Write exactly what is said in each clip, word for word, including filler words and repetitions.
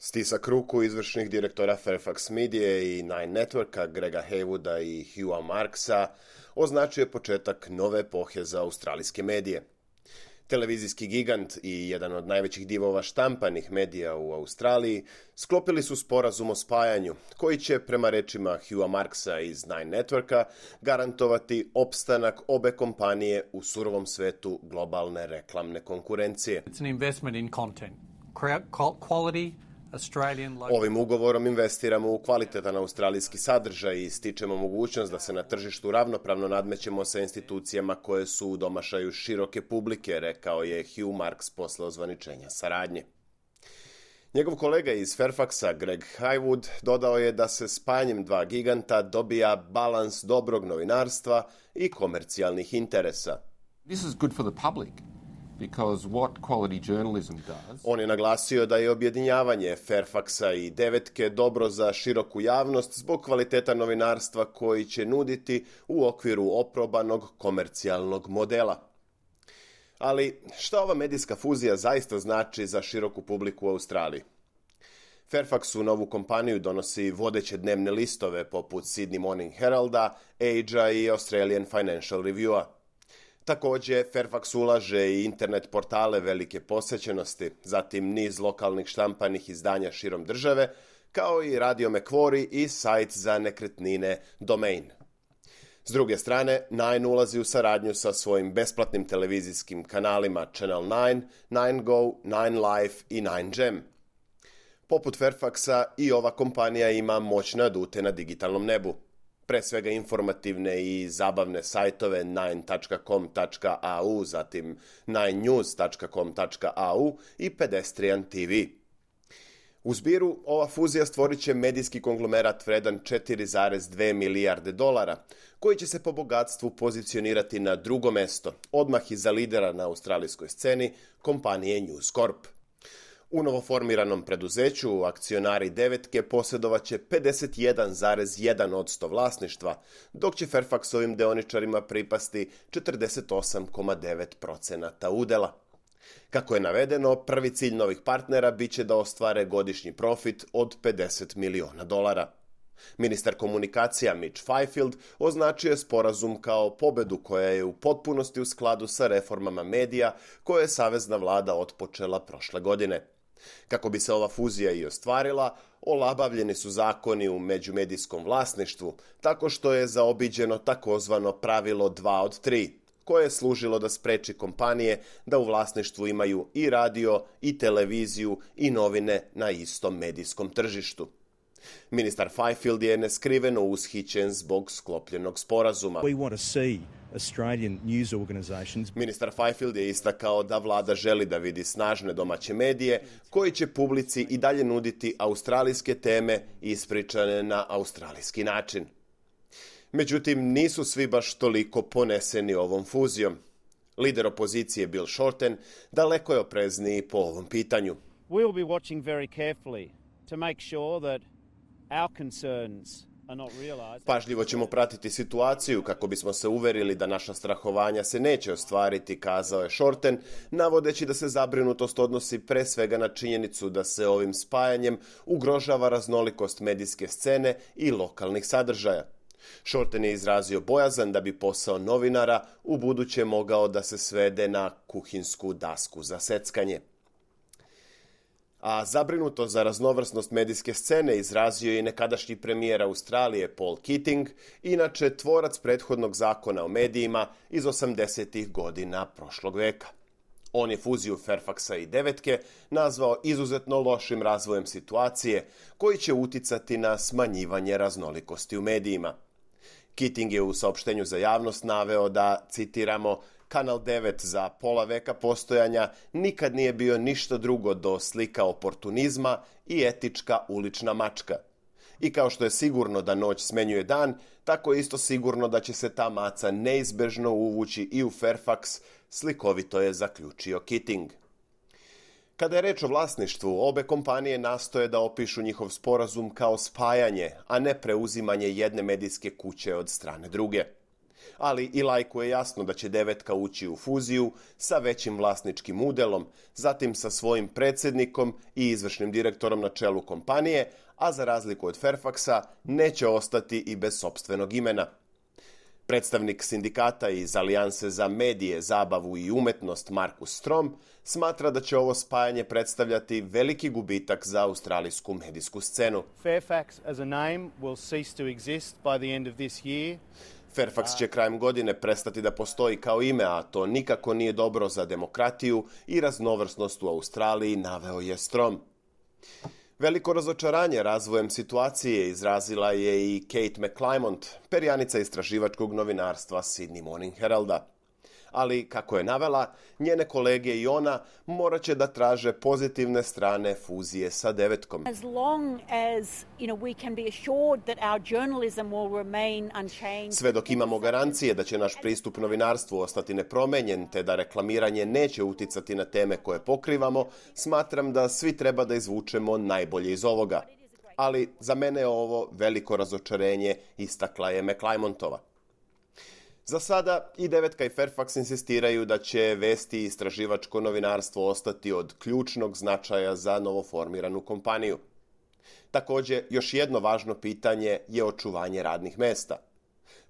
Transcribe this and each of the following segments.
Stisak ruku izvršnih direktora Fairfax Media i Nine Networka Grega Haywooda i Hugha Marksa označio je početak nove epohe za australijske medije. Televizijski gigant i jedan od najvećih divova štampanih medija u Australiji sklopili su sporazum o spajanju, koji će, prema rečima Hugha Marksa iz Nine Networka, garantovati opstanak obe kompanije u surovom svetu globalne reklamne konkurencije. It's an investment in content, quality. Ovim ugovorom investiramo u kvalitetan australijski sadržaj i stičemo mogućnost da se na tržištu ravnopravno nadmećemo sa institucijama koje su u domašaju široke publike, rekao je Hugh Marks posle ozvaničenja saradnje. Njegov kolega iz Fairfaxa, Greg Haywoood, dodao je da se spajanjem dva giganta dobija balans dobrog novinarstva i komercijalnih interesa. This is good for the public. Because what quality journalism does... On je naglasio da je objedinjavanje Fairfaxa i Devetke dobro za široku javnost zbog kvaliteta novinarstva koji će nuditi u okviru oprobanog komercijalnog modela. Ali šta ova medijska fuzija zaista znači za široku publiku u Australiji? Fairfax u novu kompaniju donosi vodeće dnevne listove poput Sydney Morning Heralda, Age-a i Australian Financial Review-a. Također, Fairfax ulaže i internet portale velike posjećenosti, zatim niz lokalnih štampanih izdanja širom države, kao i Radio Macquarie i sajt za nekretnine Domain. S druge strane, Nine ulazi u saradnju sa svojim besplatnim televizijskim kanalima Channel Nine, Nine Go, Nine Life i Nine Gem. Poput Fairfaxa i ova kompanija ima moćne adute na digitalnom nebu. Pre svega informativne i zabavne sajtove nine dot com dot a u, zatim nine news dot com dot a u i Pedestrian T V. U zbiru, ova fuzija stvorit će medijski konglomerat vredan četiri zarez dve milijarde dolara, koji će se po bogatstvu pozicionirati na drugo mesto, odmah iza lidera na australijskoj sceni, kompanije News Corp. U novoformiranom preduzeću akcionari Devetke posjedovaće pedeset jedan zarez jedan posto vlasništva, dok će Fairfaxovim deoničarima pripasti četrdeset osam zarez devet posto udela. Kako je navedeno, prvi cilj novih partnera biće da ostvare godišnji profit od pedeset miliona dolara. Ministar komunikacija Mitch Fifield označio je sporazum kao pobedu koja je u potpunosti u skladu sa reformama medija koje je savezna vlada otpočela prošle godine. Kako bi se ova fuzija i ostvarila, olabavljeni su zakoni u međumedijskom vlasništvu, tako što je zaobiđeno takozvano pravilo dva od tri, koje je služilo da spreči kompanije da u vlasništvu imaju i radio, i televiziju, i novine na istom medijskom tržištu. Ministar Fifield je neskriveno ushićen zbog sklopljenog sporazuma. We want to see Australian news organizations. Ministar Fifield je istakao da vlada želi da vidi snažne domaće medije koji će publici i dalje nuditi australijske teme ispričane na australijski način. Međutim, nisu svi baš toliko poneseni ovom fuzijom. Lider opozicije Bill Shorten daleko je oprezniji po ovom pitanju. We will be watching very carefully to make sure that our concerns are not realized. Pažljivo ćemo pratiti situaciju kako bismo se uverili da naša strahovanja se neće ostvariti, kazao je Shorten, navodeći da se zabrinutost odnosi pre svega na činjenicu da se ovim spajanjem ugrožava raznolikost medijske scene i lokalnih sadržaja. Shorten je izrazio bojazan da bi posao novinara u buduće mogao da se svede na kuhinsku dasku za seckanje. A zabrinuto za raznovrsnost medijske scene izrazio je i nekadašnji premijer Australije Paul Keating, inače tvorac prethodnog zakona o medijima iz osamdesetih godina prošlog veka. On je fuziju Fairfaxa i Devetke nazvao izuzetno lošim razvojem situacije koji će uticati na smanjivanje raznolikosti u medijima. Keating je u saopštenju za javnost naveo da, citiramo, Kanal devet za pola veka postojanja nikad nije bio ništa drugo do slika oportunizma i etička ulična mačka. I kao što je sigurno da noć smenjuje dan, tako je isto sigurno da će se ta maca neizbežno uvući i u Fairfax, slikovito je zaključio Keating. Kada je reč o vlasništvu, obe kompanije nastoje da opišu njihov sporazum kao spajanje, a ne preuzimanje jedne medijske kuće od strane druge. Ali i Lajku je jasno da će Devetka ući u fuziju sa većim vlasničkim udelom, zatim sa svojim predsjednikom i izvršnim direktorom na čelu kompanije, a za razliku od Fairfaxa neće ostati i bez sopstvenog imena. Predstavnik sindikata iz Alijanse za medije, zabavu i umetnost Markus Strom smatra da će ovo spajanje predstavljati veliki gubitak za australijsku medijsku scenu. Fairfax as a name will cease to exist by the end of this year. Fairfax će krajem godine prestati da postoji kao ime, a to nikako nije dobro za demokratiju i raznovrsnost u Australiji, naveo je Strom. Veliko razočaranje razvojem situacije izrazila je i Kate McClymont, perjanica istraživačkog novinarstva Sydney Morning Heralda. Ali, kako je navela, njene kolege i ona morat će da traže pozitivne strane fuzije sa Devetkom. As long as, you know, we can be assured that our journalism will remain unchanged. Sve dok imamo garancije da će naš pristup novinarstvu ostati nepromenjen, te da reklamiranje neće uticati na teme koje pokrivamo, smatram da svi treba da izvučemo najbolje iz ovoga. Ali za mene je ovo veliko razočarenje, istakla je McClymontova. Za sada i Devetka i Fairfax insistiraju da će vesti i istraživačko novinarstvo ostati od ključnog značaja za novoformiranu kompaniju. Također, još jedno važno pitanje je očuvanje radnih mesta.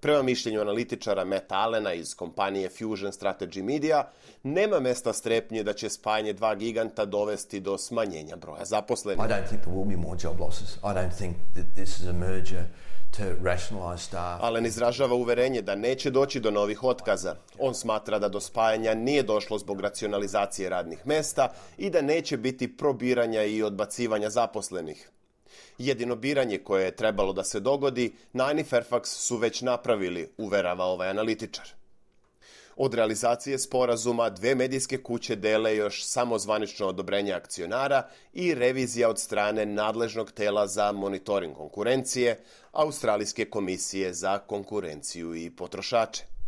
Prema mišljenju analitičara Matta Allena iz kompanije Fusion Strategy Media, nema mesta strepnje da će spajanje dva giganta dovesti do smanjenja broja zaposlenih. I don't think there will be more job losses. I don't think that this is a merger to rationalize staff. Allen izražava uverenje da neće doći do novih otkaza. On smatra da do spajanja nije došlo zbog racionalizacije radnih mesta i da neće biti probiranja i odbacivanja zaposlenih. Jedino biranje koje je trebalo da se dogodi, Nine i Fairfax su već napravili, uverava ovaj analitičar. Od realizacije sporazuma dve medijske kuće dele još samo zvanično odobrenje akcionara i revizija od strane nadležnog tela za monitoring konkurencije, Australijske komisije za konkurenciju i potrošače.